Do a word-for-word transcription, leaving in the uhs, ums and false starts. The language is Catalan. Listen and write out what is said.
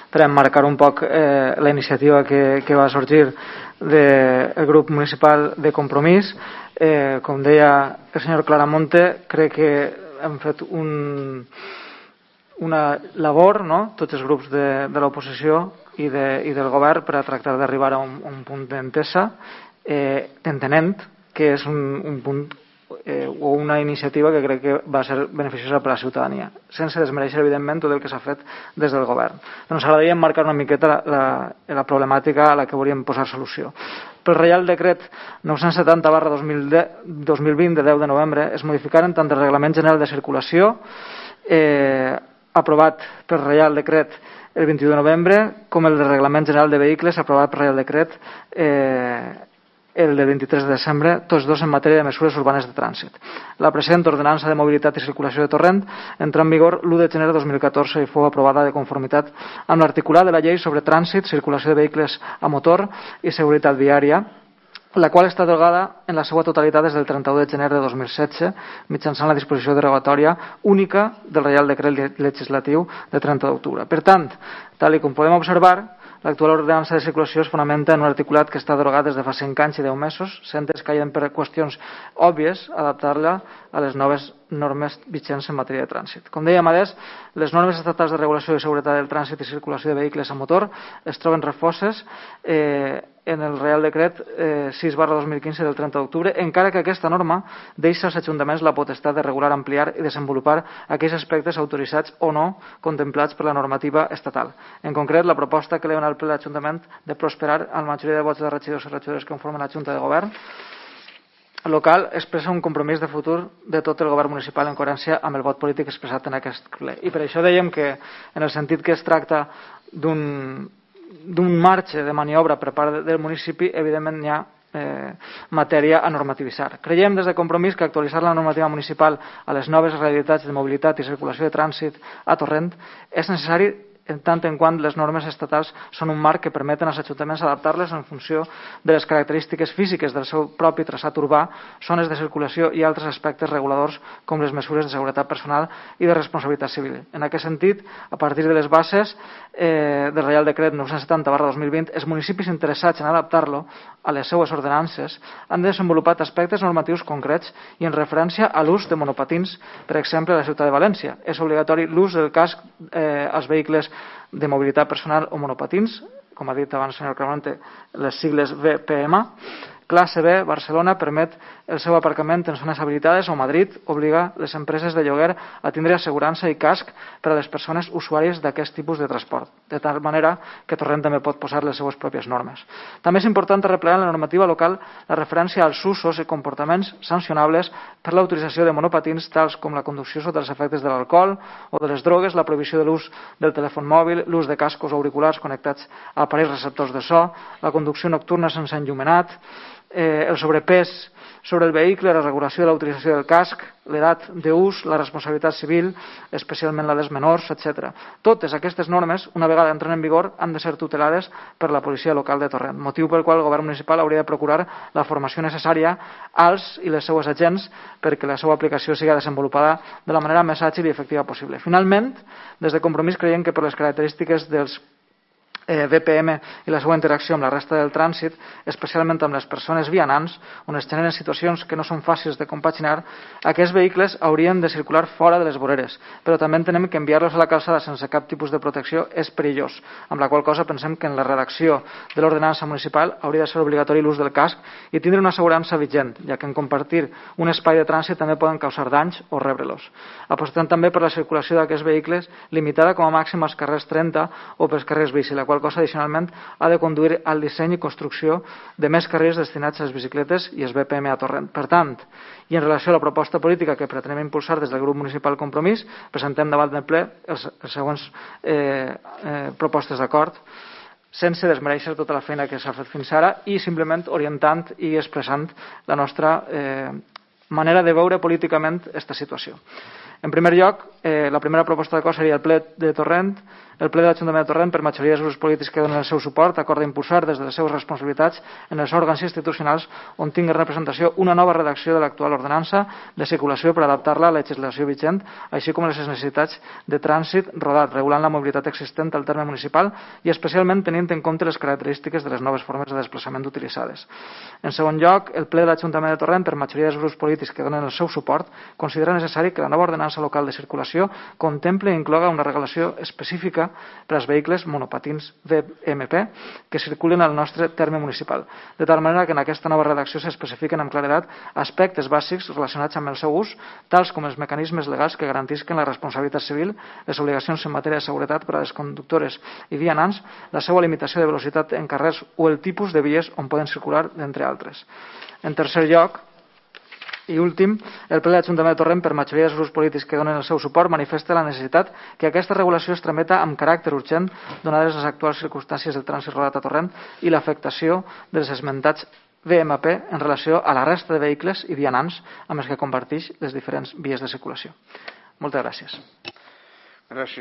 per emmarcar un poc eh, la iniciativa que, que va sorgir del grup municipal de Compromís. Eh, com deia el senyor Claramonte, crec que hem fet un, una labor, no? Tots els grups de, de l'oposició i, de, i del govern, per a tractar d'arribar a un, un punt d'entesa, eh, entenent que és un, un punt eh, o una iniciativa que crec que va ser beneficiosa per a la ciutadania, sense desmereixer, evidentment, tot el que s'ha fet des del govern. Però ens agradaria emmarcar una miqueta la, la, la problemàtica a la que volíem posar solució. Pel Reial Decret nou-cents setanta barra dos mil vint de deu de novembre es modificaren tant el Reglament General de Circulació eh, aprovat per Reial Decret el vint-i-u de novembre com el de Reglament General de Vehicles aprovat per Reial Decret eh, el del vint-i-tres de desembre, tots dos en matèria de mesures urbanes de trànsit. La present ordenança de mobilitat i circulació de Torrent entrà en vigor l'u de gener de dos mil catorze i fou aprovada de conformitat amb l'articulat de la Llei sobre Trànsit, Circulació de Vehicles a Motor i Seguretat Viària, la qual està derogada en la seva totalitat des del trenta-u de gener de dos mil setze mitjançant la disposició derogatòria única del Reial Decret Legislatiu de trenta d'octubre. Per tant, tal com podem observar, l'actual ordenança de circulació es fonamenta en un articulat que està derogat des de fa cinc anys i deu mesos, sent escaient per qüestions òbvies adaptar-la a les noves normes vigents en matèria de trànsit. Com dèiem, a més, les normes estatals de regulació i seguretat del trànsit i circulació de vehicles a motor es troben refoses eh, en el Real Decret eh, sis barra dos mil quinze del trenta d'octubre, encara que aquesta norma deixa als ajuntaments la potestat de regular, ampliar i desenvolupar aquells aspectes autoritzats o no contemplats per la normativa estatal. En concret, la proposta que li dona al ple l'Ajuntament de prosperar a la majoria de vots de regidors i regidores que conformen la Junta de Govern local expressa un compromís de futur de tot el govern municipal en coherència amb el vot polític expressat en aquest ple. I per això dèiem que, en el sentit que es tracta d'un d'un marge de maniobra per part del municipi, evidentment hi ha eh, matèria a normativitzar. Creiem des de Compromís que actualitzar la normativa municipal a les noves realitats de mobilitat i circulació de trànsit a Torrent és necessari en tant en quant les normes estatals són un marc que permeten als ajuntaments adaptar-les en funció de les característiques físiques del seu propi traçat urbà, zones de circulació i altres aspectes reguladors com les mesures de seguretat personal i de responsabilitat civil. En aquest sentit, a partir de les bases eh, del Reial Decret nou-cents setanta barra dos mil vint, els municipis interessats en adaptar-lo a les seues ordenances han desenvolupat aspectes normatius concrets i en referència a l'ús de monopatins, per exemple, a la ciutat de València. És obligatori l'ús del casc eh, als vehicles de mobilitat personal o monopatins, com ha dit abans el senyor Claramonte, les sigles V P M. Classe B, Barcelona, permet el seu aparcament en zones habilitades o Madrid obliga les empreses de lloguer a tindre assegurança i casc per a les persones usuàries d'aquest tipus de transport, de tal manera que Torrent també pot posar les seues pròpies normes. També és important replegar en la normativa local la referència als usos i comportaments sancionables per l'utilització de monopatins tals com la conducció sota els efectes de l'alcohol o de les drogues, la prohibició de l'ús del telèfon mòbil, l'ús de cascos o auriculars connectats a aparells receptors de so, la conducció nocturna sense enllumenat, eh, el sobrepès sobre el vehicle, la regulació de la utilització del casc, l'edat d'ús, la responsabilitat civil, especialment la dels menors, etcètera. Totes aquestes normes, una vegada entren en vigor, han de ser tutelades per la policia local de Torrent, motiu pel qual el govern municipal hauria de procurar la formació necessària als i les seues agents perquè la seva aplicació sigui desenvolupada de la manera més àgil i efectiva possible. Finalment, des de Compromís creiem que per les característiques dels Eh, V P M i la seva interacció amb la resta del trànsit, especialment amb les persones vianants, on es generen situacions que no són fàcils de compaginar, aquests vehicles haurien de circular fora de les voreres, però també entenem que enviar-los a la calçada sense cap tipus de protecció és perillós, amb la qual cosa pensem que en la redacció de l'ordenança municipal hauria de ser obligatori l'ús del casc i tindre una assegurança vigent, ja que en compartir un espai de trànsit també poden causar danys o rebre-los. Apostant també per la circulació d'aquests vehicles limitada com a màxim als carrers trenta o pels carrers bici, la qual cosa addicionalment ha de conduir al disseny i construcció de més carrils destinats a les bicicletes i els V P M a Torrent. Per tant, i en relació a la proposta política que pretenem impulsar des del grup municipal Compromís, presentem davant del ple els, els següents eh, eh, propostes d'acord, sense desmereixer tota la feina que s'ha fet fins ara i simplement orientant i expressant la nostra eh, manera de veure políticament aquesta situació. En primer lloc, eh, la primera proposta d'acord seria el ple de Torrent. El ple de l'Ajuntament de Torrent, per majoria dels grups polítics que donen el seu suport, acorda impulsar des de les seves responsabilitats en els òrgans institucionals on tingui representació una nova redacció de l'actual ordenança de circulació per adaptar-la a la legislació vigent, així com a les necessitats de trànsit rodat, regulant la mobilitat existent al terme municipal i especialment tenint en compte les característiques de les noves formes de desplaçament utilitzades. En segon lloc, el ple de l'Ajuntament de Torrent, per majoria dels grups polítics que donen el seu suport, considera necessari que la nova ordenança local de circulació contemple i incloga una regulació específica per als vehicles monopatins V M P que circulen al nostre terme municipal, de tal manera que en aquesta nova redacció s'especifiquen amb claredat aspectes bàsics relacionats amb el seu ús, tals com els mecanismes legals que garantisquen la responsabilitat civil, les obligacions en matèria de seguretat per a les conductores i vianants, la seva limitació de velocitat en carrers o el tipus de vies on poden circular, entre altres. En tercer lloc, i últim, el ple de l'Ajuntament de Torrent, per majoria dels grups polítics que donen el seu suport, manifesta la necessitat que aquesta regulació es trameta amb caràcter urgent, donades les actuals circumstàncies del trànsit rodat a Torrent i l'afectació dels esmentats V M P en relació a la resta de vehicles i vianants amb els que comparteix les diferents vies de circulació. Moltes gràcies. Gràcies.